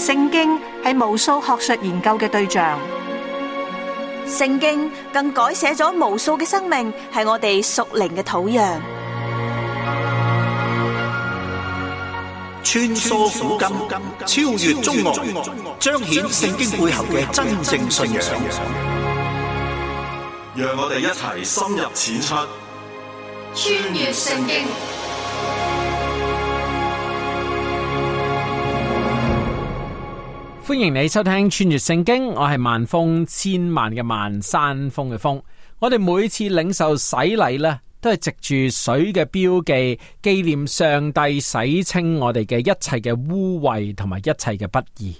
聖經係無數學術研究嘅對象，聖經更改寫咗無數嘅生命，係我哋屬靈嘅土壤。穿梭古今，超越中外，彰顯聖經背後嘅真正信仰。讓我哋一齊深入淺出，穿越聖經。歡迎你收聽穿越聖經，我係萬峰，千萬嘅萬，山峰嘅峰。我哋每次領受洗禮咧，都係藉住水嘅標記，紀念上帝洗清我哋嘅一切嘅污穢同埋一切嘅不義。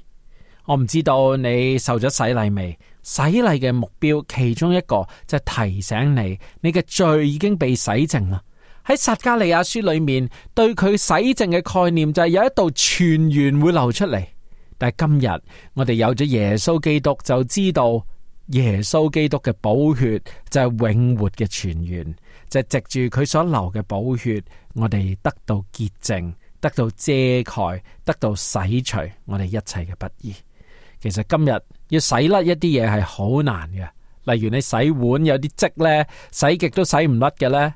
我唔知道你受咗洗禮未？洗禮嘅目標其中一個就係提醒你，你嘅罪已經被洗淨啦。喺撒迦利亞書裏面，對佢洗淨嘅概念就係有一道泉源會流出嚟。但係今日我哋有咗耶穌基督，就知道耶穌基督嘅寶血就係永活嘅泉源，就係藉住佢所流嘅寶血，我哋得到潔淨，得到遮蓋，得到洗除我哋一切嘅不義。其實今日要洗甩一啲嘢係好難嘅，例如你洗碗有啲漬咧，洗極都洗唔甩嘅咧。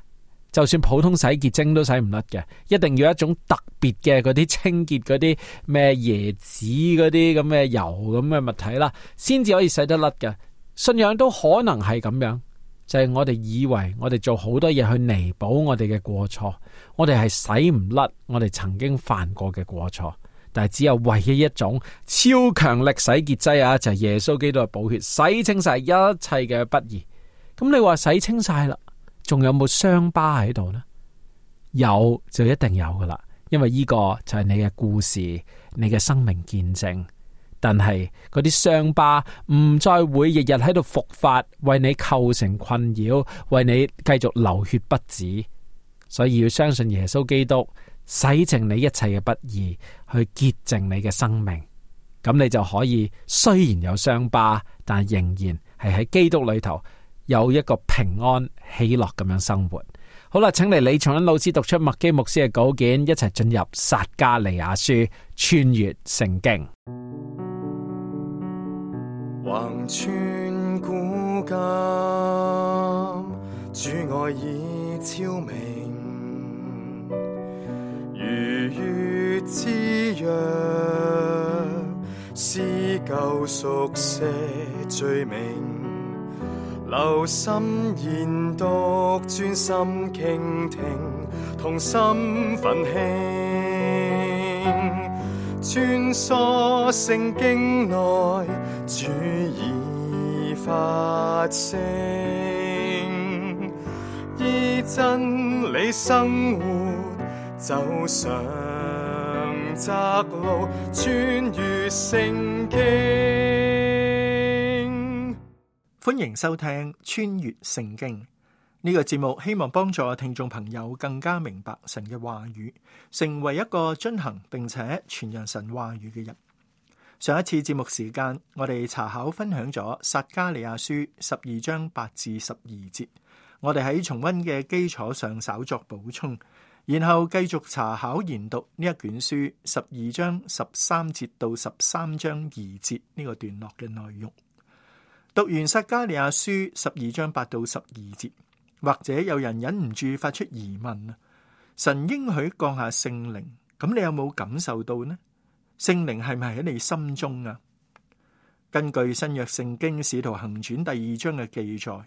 就算普通洗潔精都洗唔甩嘅，一定要一種特別嘅嗰啲清潔嗰啲咩椰子嗰啲咁嘅油咁嘅物體啦，先至可以洗得甩嘅。信仰都可能係咁樣，就係我哋以為我哋做好多嘢去彌補我哋嘅過錯，我哋係洗唔甩我哋曾經犯過嘅過錯，但係只有唯一一種超強力洗潔劑啊，就係耶穌基督嘅寶血洗清晒一切嘅不義。咁你話洗清晒啦，仲有冇傷疤喺度呢？有就一定有噶啦，因為呢個就係你嘅故事，你嘅生命見證。但係嗰啲傷疤唔再會日日喺度復發，為你構成困擾，為你繼續流血不止。所以要相信耶穌基督洗淨你一切嘅不義，去潔淨你嘅生命。咁你就可以雖然有傷疤，但仍然係喺基督裏頭有一個平安喜樂咁樣生活。好啦，請嚟李松恩老師讀出麥基牧師嘅稿件，一齊進入撒迦利亞書，穿越聖經。橫穿古今，主愛已昭明，如月之約，撕舊熟寫罪名。留心研讀，專心傾聽，同心奮興，穿梭聖經內，主已發聲，依真理生活，走上窄路，穿越聖經。歡迎收聽穿越聖經呢個節目，希望幫助聽眾朋友更加明白神嘅話語，成為一個遵行並且傳揚神話語嘅人。上一次節目時間，我哋查考分享咗撒迦利亞書12章8至12節，我哋喺重溫嘅基礎上稍作補充，然後繼續查考研讀呢一卷書12章13節到13章2節呢個段落嘅內容。讀完撒迦利亞書12章8到12節，或者有人忍唔住發出疑問啊，神應許降下聖靈，咁你有冇感受到呢？聖靈係咪喺你心中啊？根據新約聖經使徒行傳第2章嘅記載，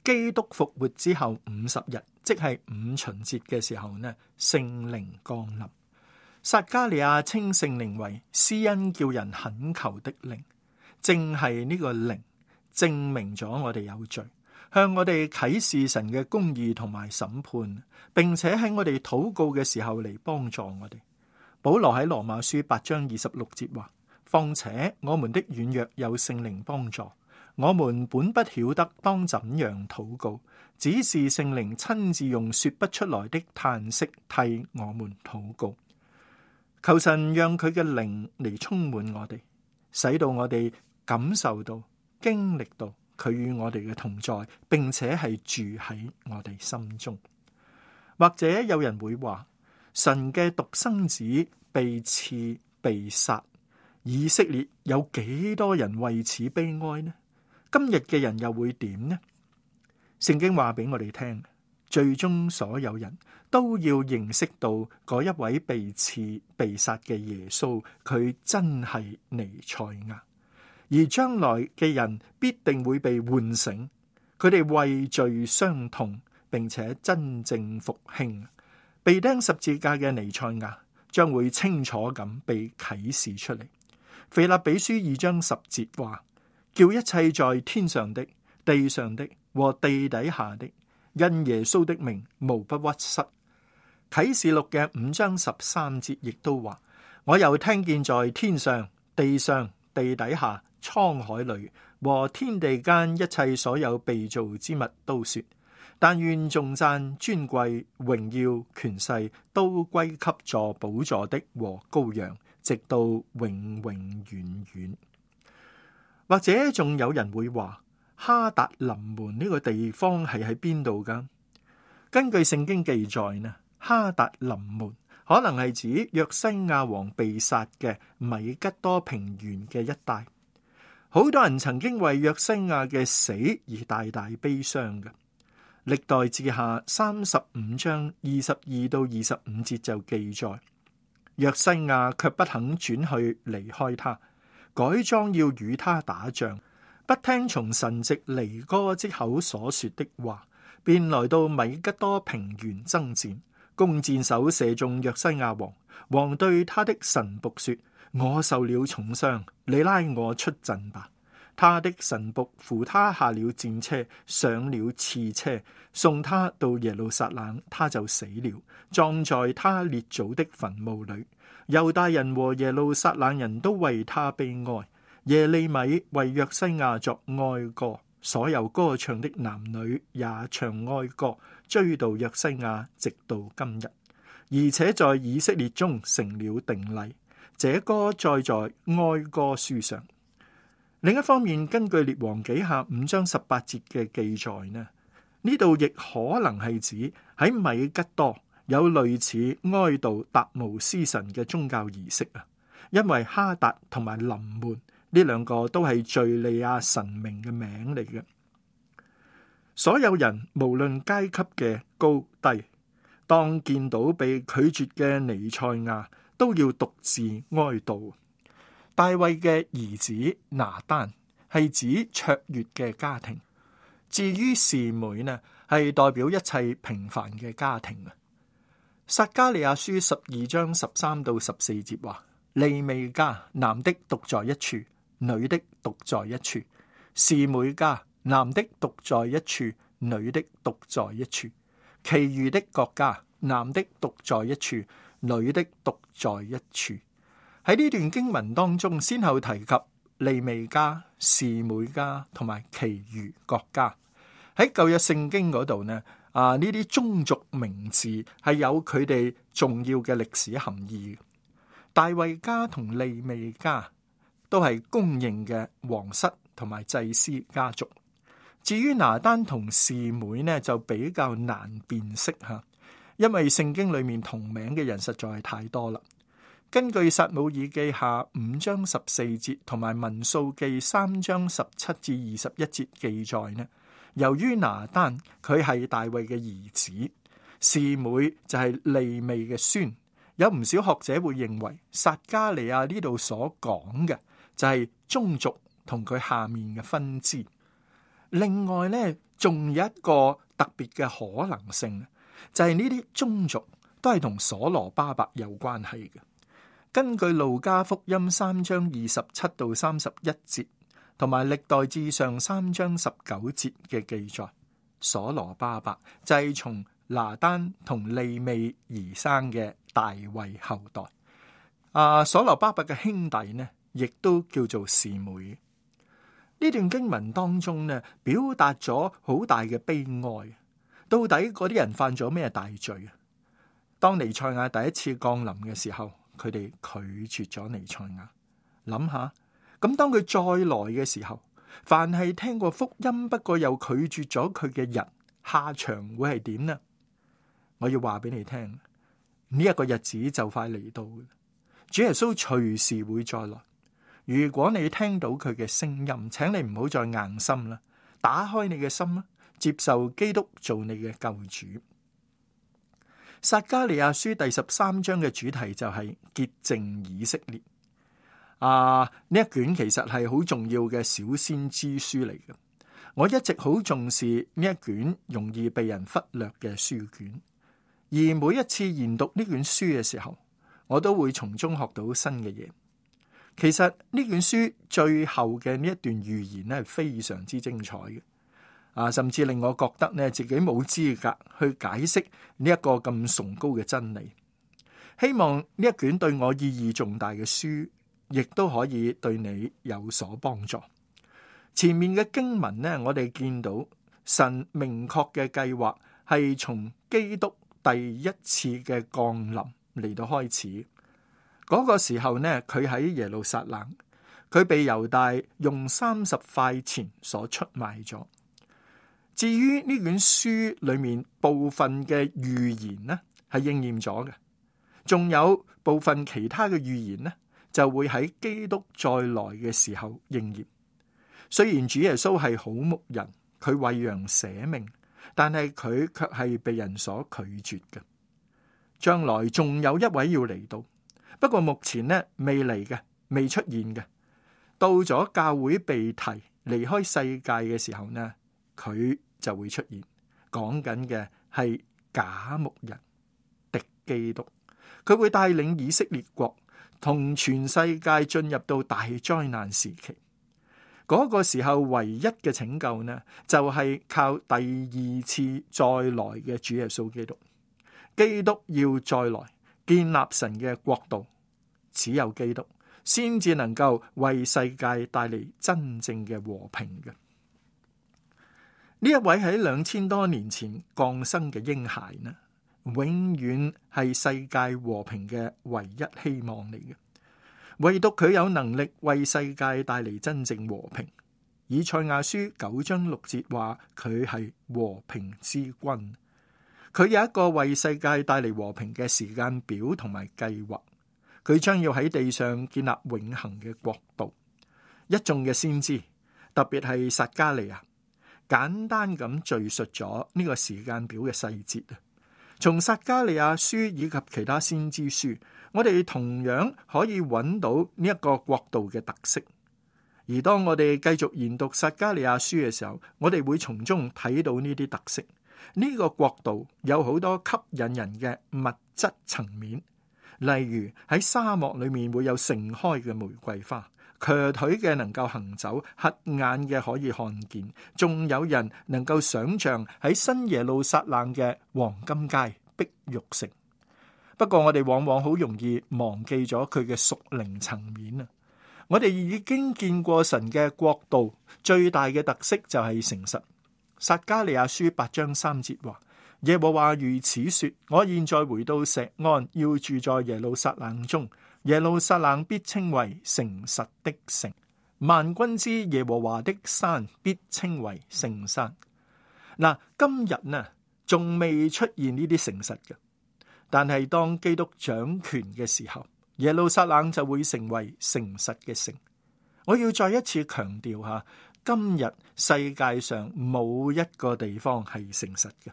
基督復活之後50日，即係五旬節嘅時候呢，聖靈降臨。撒迦利亞稱聖靈為施恩叫人懇求的靈，正係呢個靈證明咗我哋有罪，向我哋啟示神嘅公義同埋審判，並且喺我哋禱告嘅時候嚟幫助我哋。保羅喺羅馬書8章26節話：況且我們的軟弱有聖靈幫助，我們本不曉得當怎樣禱告，只是聖靈親自用說不出來的嘆息替我們禱告。求神讓佢嘅靈嚟充滿我哋，使到我哋感受到經歷到佢與我哋嘅同在，並且係住喺我哋心中。或者有人會話，神嘅獨生子被刺被殺，以色列有幾多人為此悲哀呢？今日嘅人又會點呢？聖經話俾我哋聽，最終所有人都要認識到嗰一位被刺被殺嘅耶穌，佢真係彌賽亞。而將來嘅人必定會被喚醒，佢哋為罪傷痛，並且真正復興。被釘十字架嘅彌賽亞將會清楚咁被啟示出嚟。腓立比書2章10節話，叫一切在天上的、地上的和地底下的，因耶穌的名無不屈膝。啟示錄嘅5章13節亦都話，我又聽見在天上、地上、地底下、滄海裏和天地間一切所有被造之物都說，但願頌讚、尊貴、榮耀、權勢都歸給坐寶座的和羔羊，直到永永遠遠。或者仲有人會話，哈達林門呢個地方係喺邊度噶？根據聖經記載呢，哈達林門可能係指約西亞王被殺嘅米吉多平原嘅一帶。好多人曾經為約西亞嘅死而大大悲傷嘅。歷代志下35章22到25節就記載，約西亞卻不肯轉去離開他，改裝要與他打仗，不聽從神藉尼哥之口所說的話，便來到米吉多平原爭戰，弓箭手射中約西亞王。王對他的臣僕說，我受了重傷，你拉我出陣吧。他的臣僕扶他下了戰車，上了刺車，送他到耶路撒冷，他就死了，葬在他列祖的墳墓裏。猶大人和耶路撒冷人都為他悲哀。耶利米為約西亞作哀歌，所有歌唱的男女也唱哀歌，追悼約西亞，直到今日，而且在以色列中成了定例。這歌載在哀歌書上。另一方面，根據列王紀下5章18節嘅記載呢度亦可能係指喺米吉多有類似哀悼達姆斯神嘅宗教儀式啊，因為哈達同埋林門呢兩個都係敘利亞神明嘅名嚟嘅。所有人無論階級嘅高低，當見到被拒絕嘅彌賽亞，都要獨自哀悼。大衛嘅兒子拿單係指卓越嘅家庭，至於示每呢，係代表一切平凡嘅家庭啊。撒迦利亞書12章13到14節話，利未家男的獨在一處，女的獨在一處；示每家男的獨在一處，女的獨在一處；其餘的各家男的獨在一處，女的獨在一處。喺呢段經文當中，先後提及利未家、示每家同埋其餘各家。喺舊約聖經嗰度呢，呢啲宗族名字係有佢哋重要嘅歷史含義。大衛家同利未家都係公認嘅皇室同埋祭司家族。至於拿單同示每呢，就比較難辨識吓，因為聖經裏面同名嘅人實在係太多啦。根據撒母耳記下5章14節同埋民數記3章17至21節記載呢，由於拿單佢係大衛嘅兒子，示每就係利未嘅孫，有唔少學者會認為撒迦利亞呢度所講嘅就係宗族同佢下面嘅分支。另外呢，仲有一個特別嘅可能性，就係呢啲宗族都係同所羅巴伯有關係嘅。根據路加福音3章27到31節，同埋歷代志上3章19節嘅記載，所羅巴伯就係從拿單同利未而生嘅大衛後代。所羅巴伯嘅兄弟呢，亦都叫做示每。呢段經文當中呢，表達咗好大嘅悲哀。到底嗰啲人犯咗咩大罪啊？當彌賽亞第一次降臨嘅時候，佢哋拒絕咗彌賽亞。諗下，咁當佢再來嘅時候，凡係聽過福音不過又拒絕咗佢嘅人，下場會係點呢？我要話俾你聽，呢一個日子就快嚟到，主耶穌隨時會再來。如果你聽到佢嘅聲音，請你唔好再硬心啦，打開你嘅心啦，接受基督做你嘅救主。撒迦利亞書第13章嘅主題就係潔淨以色列。呢一卷其實係好重要嘅小先知書嚟嘅。我一直好重視呢一卷容易被人忽略嘅書卷，而每一次研讀呢卷書嘅時候，我都會從中學到新嘅嘢。其實呢卷書最後嘅呢一段預言咧係非常之精彩嘅，甚至令我覺得咧自己冇資格去解釋呢一個咁崇高嘅真理。希望呢一卷對我意義重大嘅書，亦都可以對你有所幫助。前面嘅經文呢，我哋見到神明確嘅計劃係從基督第一次嘅降臨嚟到開始。嗰個時候呢，佢喺耶路撒冷，佢被猶大用30塊錢所出賣咗。至於呢卷書裏面部分嘅預言呢，係應驗咗嘅，仲有部分其他嘅預言呢，就會喺基督再來嘅時候應驗。雖然主耶穌係好牧人，佢為羊捨命，但係佢卻係被人所拒絕嘅。將來仲有一位要嚟到，不過目前呢未嚟嘅，未出現嘅。到咗教會被提離開世界嘅時候呢，佢就會出現。講緊嘅係假牧人，敵基督，佢會帶領以色列國同全世界進入到大災難時期。嗰個時候唯一嘅拯救呢，就係靠第二次再來嘅主耶穌基督。基督要再來建立神嘅國度，只有基督先至能夠為世界帶嚟真正嘅和平嘅。呢一位喺2000多年前降生嘅嬰孩呢，永遠係世界和平嘅唯一希望嚟嘅。唯獨佢有能力為世界帶嚟真正和平。以賽亞書9章6節話佢係和平之君，佢有一個為世界帶嚟和平嘅時間表同埋計劃。佢將要喺地上建立永恆嘅國度。一眾嘅先知，特別係撒迦利亞，簡單咁敘述咗呢個時間表嘅細節啊。從撒迦利亞書以及其他先知書，我哋同樣可以揾到呢一個國度嘅特色。而當我哋繼續研讀撒迦利亞書嘅時候，我哋會從中睇到呢啲特色。呢個國度有好多吸引人嘅物質層面，例如喺沙漠裏面會有盛開嘅玫瑰花，瘸腿嘅能夠行走，瞎眼嘅可以看見，仲有人能夠想象喺新耶路撒冷嘅黃金街、碧玉城。不過我哋往往好容易忘記咗佢嘅屬靈層面啊！我哋已經見過神嘅國度最大嘅特色就係誠實。撒迦利亞書8章3節話：耶和華如此說，我現在回到錫安，要住在耶路撒冷中，耶路撒冷必稱為誠實的城，萬軍之耶和華的山必稱為聖山。嗱，今日呢仲未出現呢啲誠實嘅，但係當基督掌權嘅時候，耶路撒冷就會成為誠實嘅城。我要再一次強調下，今日世界上冇一個地方係誠實嘅。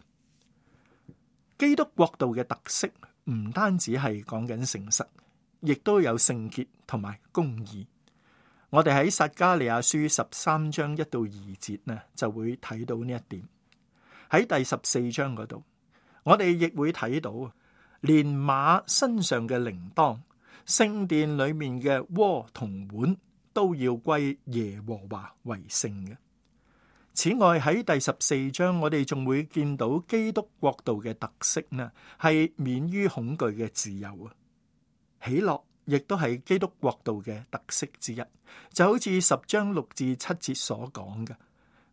基督國度嘅特色唔單止係講緊誠實，亦都有聖潔同埋公義。我哋喺撒迦利亞書13章1到2節呢，就會睇到呢一點。喺第14章嗰度，我哋亦會睇到，連馬身上嘅鈴鐺、聖殿裏面嘅鍋同碗都要歸耶和華為聖嘅。此外，喺第14章，我哋仲會見到基督國度嘅特色呢，係免於恐懼嘅自由啊。喜樂亦都係基督國度嘅特色之一，就好似10章6至7節所講嘅：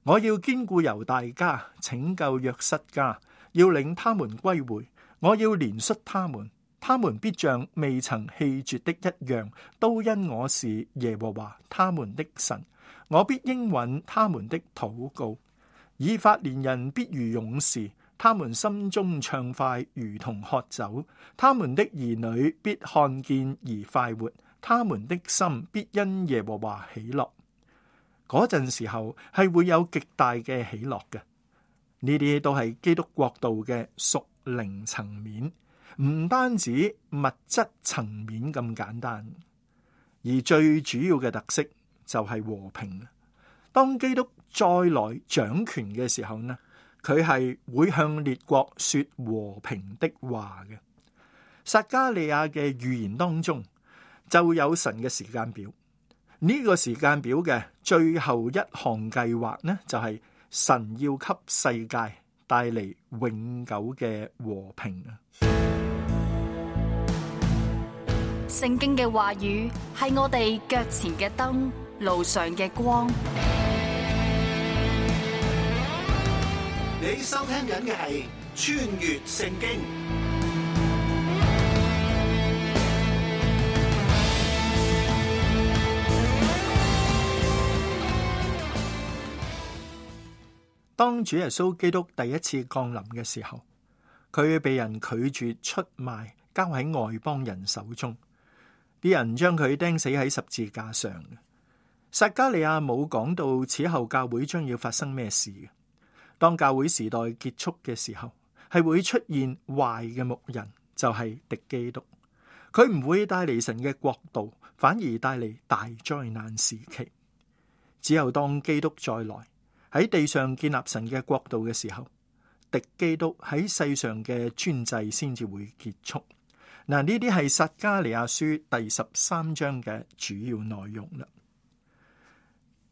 我要堅固猶大家，拯救約瑟家，要領他們歸回，我要憐恤他們，他們必像未曾棄絕的一樣，都因我是耶和華他們的神。我必應允他們的禱告。以法蓮人必如勇士，他們心中暢快如同喝酒，他們的兒女必看見而快活，他們的心必因耶和華喜樂。嗰陣時候係會有極大嘅喜樂嘅。呢啲都係基督國度嘅屬靈層面，唔單止物質層面咁簡單，而最主要嘅特色就係和平。當基督再來掌權嘅時候呢，佢係會向列國說和平的話嘅。撒迦利亞嘅預言當中就有神嘅時間表，呢個時間表嘅最後一項計劃呢，就係神要給世界帶嚟永久嘅和平啊！聖經嘅話語係我哋腳前嘅燈，路上嘅光。你收聽緊嘅係穿越聖經。當主耶穌基督第一次降臨嘅時候，佢被人拒絕出賣，交喺外邦人手中，啲人將佢釘死喺十字架上。撒迦利亞冇講到此後教會將要發生咩事。當教會時代結束嘅時候，係會出現壞嘅牧人，就係敵基督。佢唔會帶嚟神嘅國度，反而帶嚟大災難時期。只有當基督再來喺地上建立神嘅國度嘅時候，敵基督喺世上嘅專制先至會結束。嗱，呢啲係撒迦利亞書第13章嘅主要內容啦。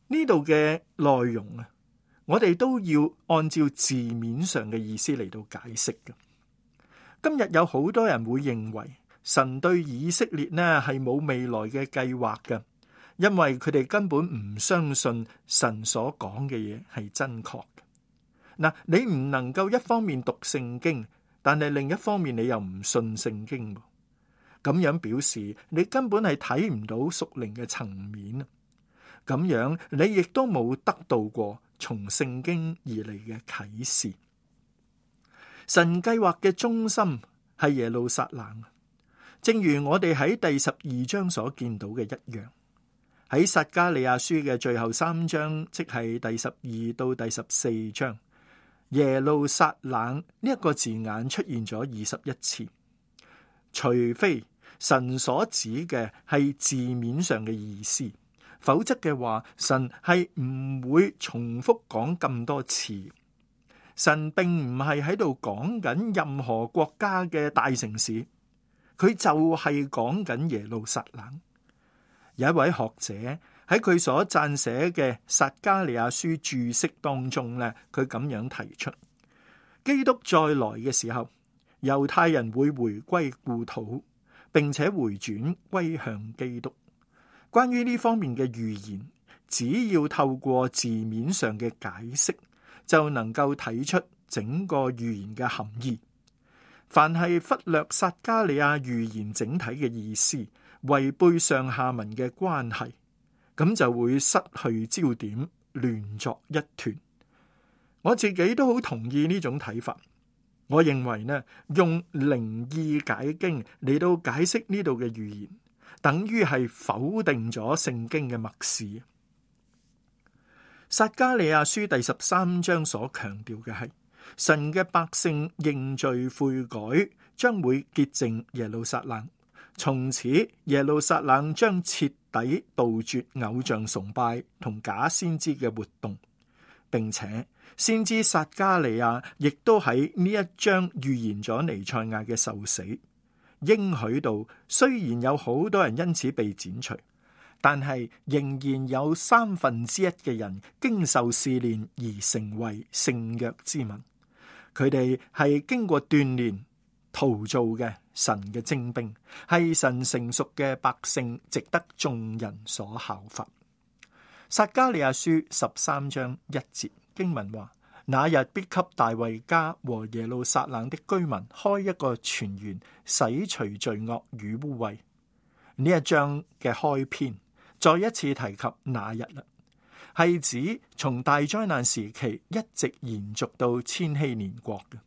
呢度嘅內容啊，我哋都要按照字面上嘅意思嚟到解釋嘅。今日有好多人會認為神對以色列呢係冇未來嘅計劃嘅，因為佢哋根本唔相信神所講嘅嘢係真確嘅。嗱，你唔能夠一方面讀聖經，但係另一方面你又唔信聖經，咁樣表示你根本係睇唔到屬靈嘅層面。咁樣你亦都冇得到過從聖經而嚟嘅啟示。神計劃嘅中心係耶路撒冷，正如我哋喺第12章所見到嘅一樣。喺撒迦利亞書嘅最後3章，即係第12到第14章，耶路撒冷呢一個字眼出現咗21次，除非神所指嘅係字面上嘅意思，否則嘅話，神係唔會重複講咁多次。神並唔係喺度講緊任何國家嘅大城市，佢就係講緊耶路撒冷。有一位學者喺佢所撰寫嘅撒迦利亞書注釋當中咧，佢咁樣提出：基督再來嘅時候，猶太人會回歸故土，並且回轉歸向基督。關於呢方面嘅預言，只要透過字面上嘅解釋，就能夠睇出整個預言嘅含義。凡係忽略撒迦利亞預言整體嘅意思，違背上下文嘅關係，咁就會失去焦點，亂作一團。我自己都好同意呢種睇法。我認為呢，用靈意解經嚟到解釋呢度嘅預言，等於係否定咗聖經嘅默示。撒迦利亞書第13章所強調嘅係神嘅百姓認罪悔改，將會潔淨耶路撒冷。從此耶路撒冷將徹底杜絕偶像崇拜同假先知嘅活動，並且先知撒迦利亞亦都喺呢一章預言咗彌賽亞嘅受死，應許到雖然有好多人因此被剪除，但係仍然有1/3嘅人經受試煉而成為聖約之民。佢哋係經過鍛煉陶造嘅神嘅精兵，係神成熟嘅百姓，值得眾人所效法。撒迦利亞書13章1節經文話：那日必給大衛家和耶路撒冷的居民開一個泉源，洗除罪惡與污穢。呢一章嘅開篇再一次提及那日啦，係指從大災難時期一直延續到千禧年國嘅。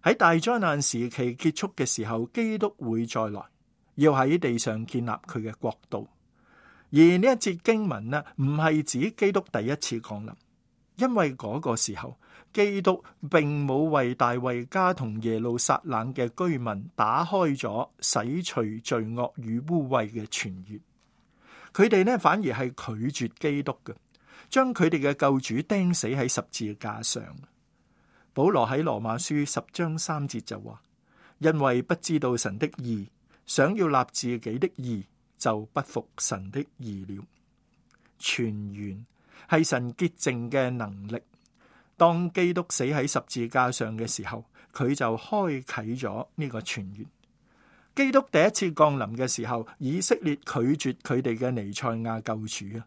喺大災難時期結束嘅時候，基督會再來，要喺地上建立佢嘅國度。而呢一節經文呢，唔係指基督第一次降臨，因為嗰個時候基督並冇為大衛家同耶路撒冷嘅居民打開咗洗除罪惡與污穢嘅泉源。佢哋呢，反而係拒絕基督嘅，將佢哋嘅救主釘死喺十字架上。保羅喺羅馬書10章3節就話：因為不知道神的義，想要立自己的義，就不服神的義了。泉源係神潔淨嘅能力。當基督死喺十字架上嘅時候，佢就開啟咗呢個泉源。基督第一次降臨嘅時候，以色列拒絕佢哋嘅彌賽亞救主啊。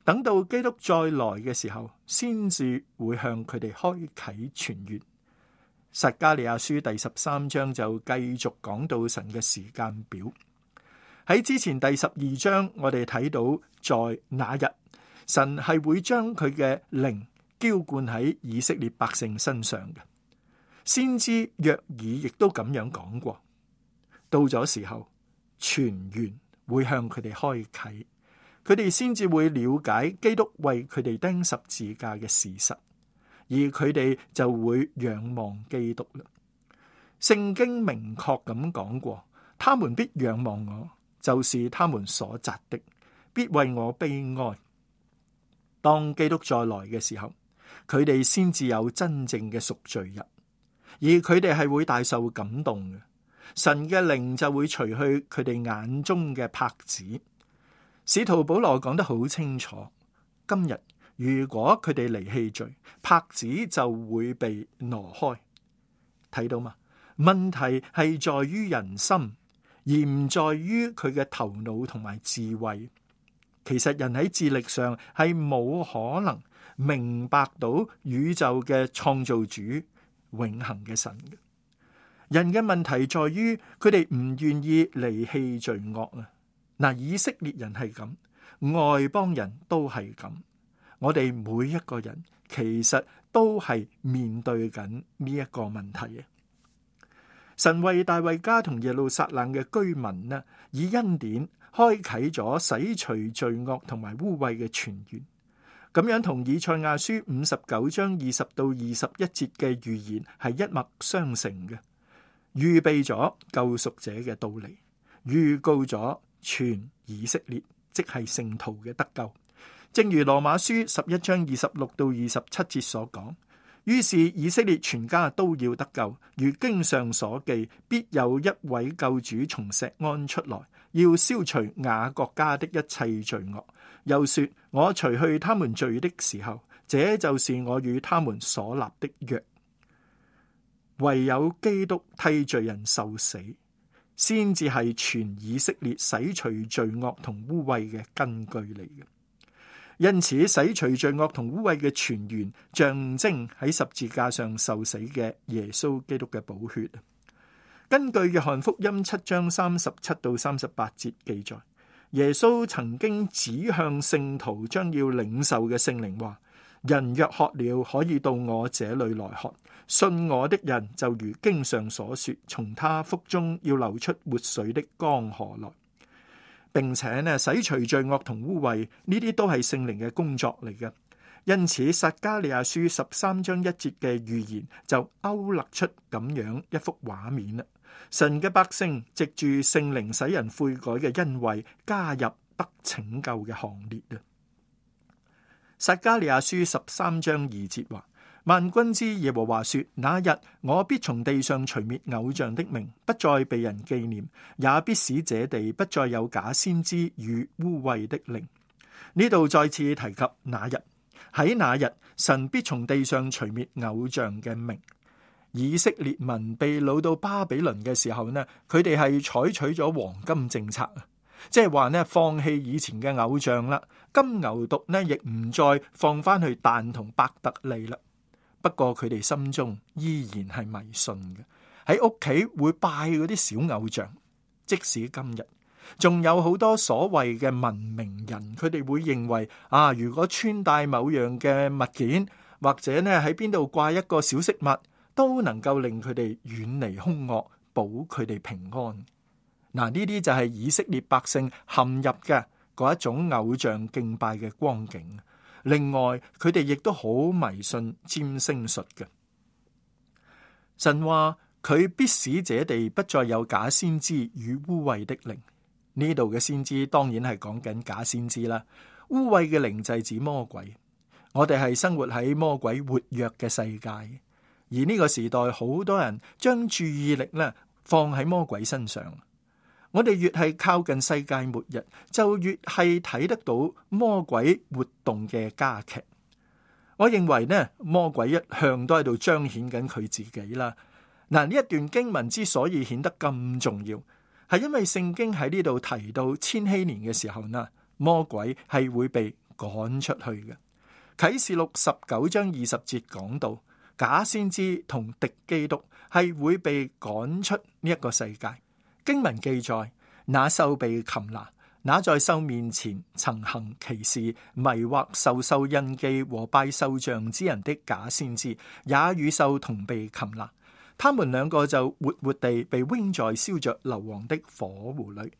等到基督再來嘅時候，先至會向佢哋開啟泉源。撒迦利亞書第13章就繼續講到神嘅時間表。喺之前第12章，我哋睇到在那日，神係會將佢嘅靈澆灌喺以色列百姓身上嘅。先知約珥亦都咁樣講過，到咗時候，泉源會向佢哋開啟。佢哋先至會了解基督為佢哋釘十字架嘅事實，而佢哋就會仰望基督啦。聖經明確咁講過，他們必仰望我，就是他們所扎的，必為我悲哀。當基督再來嘅時候，佢哋先至有真正嘅贖罪日，而佢哋係會大受感動嘅。神嘅靈就會除去佢哋眼中嘅帕子。使徒保羅講得好清楚，今日如果佢哋離棄罪，帕子就會被挪開。睇到嘛？問題係在於人心，而唔在於佢嘅頭腦同埋智慧。其實人喺智力上係冇可能明白到宇宙嘅創造主永恆嘅神嘅。人嘅問題在於佢哋唔願意離棄罪惡啊！嗱，以色列人係咁，外邦人都係咁，我哋每一個人其實都係面對緊呢一個問題嘅。神為大衛家同耶路撒冷嘅居民呢，以恩典開啟咗洗除罪惡同埋污穢嘅泉源，咁樣同以賽亞書59章20到21節嘅預言係一脈相承嘅，預備咗救贖者嘅到嚟，預告咗全以色列即係聖徒嘅得救。正如羅馬書11章26到27節所講，於是以色列全家都要得救，如經上所記，必有一位救主從錫安出來，要消除雅各家的一切罪惡。又說，我除去他們罪的時候，這就是我與他們所立的約。唯有基督替罪人受死，先至係全以色列洗除罪惡同污穢嘅根據嚟嘅。因此，洗除罪惡同污穢嘅泉源，象徵喺十字架上受死嘅耶穌基督嘅寶血。根據約翰福音7章37到38節記載，耶穌曾經指向聖徒將要領受嘅聖靈話：人若渴了，可以到我這裏來喝。信我的人就如經上所說，從他腹中要流出活水的江河來。並且呢，洗除罪惡同污穢，呢啲都係聖靈嘅工作嚟嘅。因此撒迦利亞書13章1節嘅預言就勾勒出咁樣一幅畫面啦。神嘅百姓藉住聖靈使人悔改嘅恩惠，加入得拯救嘅行列啊。撒迦利亞書13章2節話：萬軍之耶和華說，那日我必從地上除滅偶像的名，不再被人紀念，也必使這地不再有假先知與污穢的靈。呢度再次提及那日，喺那日神必從地上除滅偶像嘅名。以色列民被擄到巴比倫嘅時候呢，佢哋係採取咗黃金政策，即係話呢，放棄以前嘅偶像啦，金牛犢呢亦唔再放翻去但同伯特利啦。不過佢哋心中依然係迷信嘅，喺屋企會拜嗰啲小偶像。即使今日仲有好多所謂嘅文明人，佢哋會認為如果穿戴某樣嘅物件，或者呢喺邊度掛一個小飾物，都能夠令佢哋遠離兇惡，保佢哋平安。嗱，呢啲就係以色列百姓陷入嘅嗰一種偶像敬拜嘅光景。另外，佢哋亦都好迷信占星術嘅。神話佢必使這地不再有假先知與污穢的靈。呢度嘅先知當然係講緊假先知啦。污穢嘅靈就係指魔鬼。我哋係生活喺魔鬼活躍嘅世界，而呢個時代好多人將注意力咧放喺魔鬼身上。我哋越係靠近世界末日，就越係睇得到魔鬼活動嘅加劇。我認為呢，魔鬼一向都喺度彰顯緊佢自己啦。嗱，呢一段經文之所以顯得咁重要，係因為聖經喺呢度提到千禧年嘅時候呢，魔鬼係會被趕出去嘅。啟示錄19章20節講到，假先知同敵基督係會被趕出呢一個世界。經文記載，那獸被擒拿，那在獸面前曾行奇事、迷惑受獸印記和拜獸像之人的假先知，也與獸同被擒拿。他們兩個就活活地被扔在燒着硫磺的火湖裏。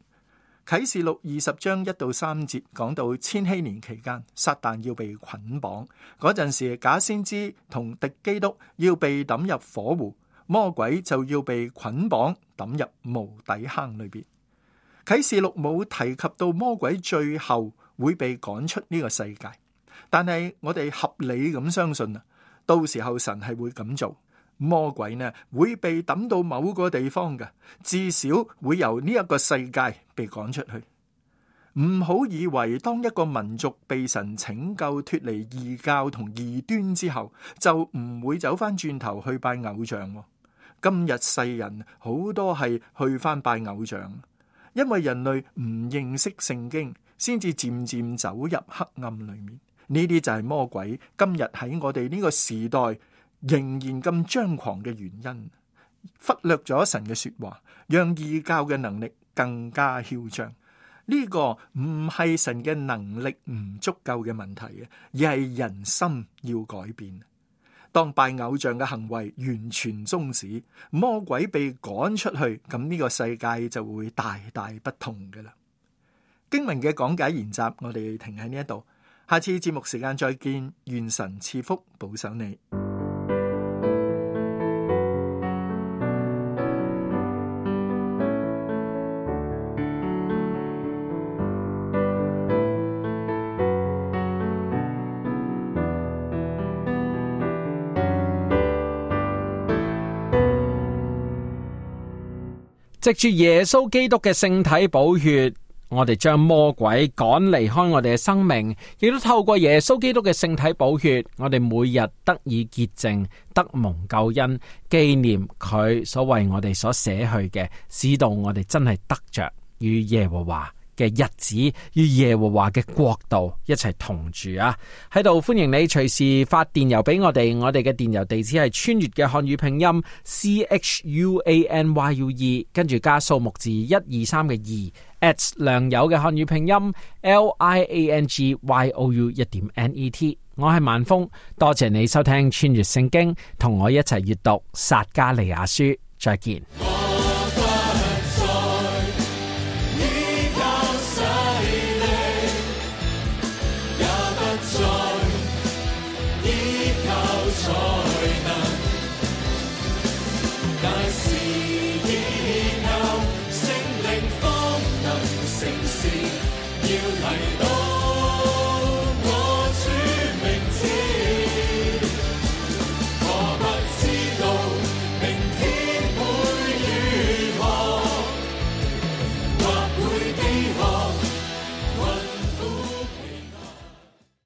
啟示錄20章1到3節講到千禧年期間，撒旦要被捆綁，嗰陣時假先知同敵基督要被抌入火湖，魔鬼就要被捆綁抌入無底坑裏邊。啟示錄冇提及到魔鬼最後會被趕出呢個世界，但係我哋合理咁相信啊，到時候神係會咁做。魔鬼呢會被抌到某個地方嘅，至少會由呢一個世界被趕出去。唔好以為當一個民族被神拯救脫離異教同異端之後，就唔會走翻轉頭去拜偶像。今日世人好多係去翻拜偶像，因為人類唔認識聖經，先至漸漸走入黑暗裏面。呢啲就係魔鬼今日喺我哋呢個時代仍然咁張狂嘅原因，忽略咗神嘅說話，讓異教嘅能力更加囂張。呢個唔係神嘅能力唔足夠嘅問題，而係人心要改變。當拜偶像嘅行為完全終止，魔鬼被趕出去，咁呢個世界就會大大不同㗎喇。經文嘅講解研習，我哋停喺呢一度，下次節目時間再見，願神賜福保守你。藉住耶穌基督嘅聖體寶血，我哋將魔鬼趕離開我哋嘅生命，亦都透過耶穌基督嘅聖體寶血，我哋每日得以潔淨，得蒙救恩，紀念佢所為我哋所捨去嘅，使到我哋真係得着與耶和華嘅日子，與耶和華嘅國度一齊同住啊！喺度歡迎你隨時發電郵俾我哋，我哋嘅電郵地址係穿越嘅漢語拼音 CHUANYUE， 跟住加數目字123嘅2@良友嘅漢語拼音 LIANGYOU1.NET。我係萬峰，多謝你收聽穿越聖經，同我一齊閱讀撒迦利亞書，再見。要提到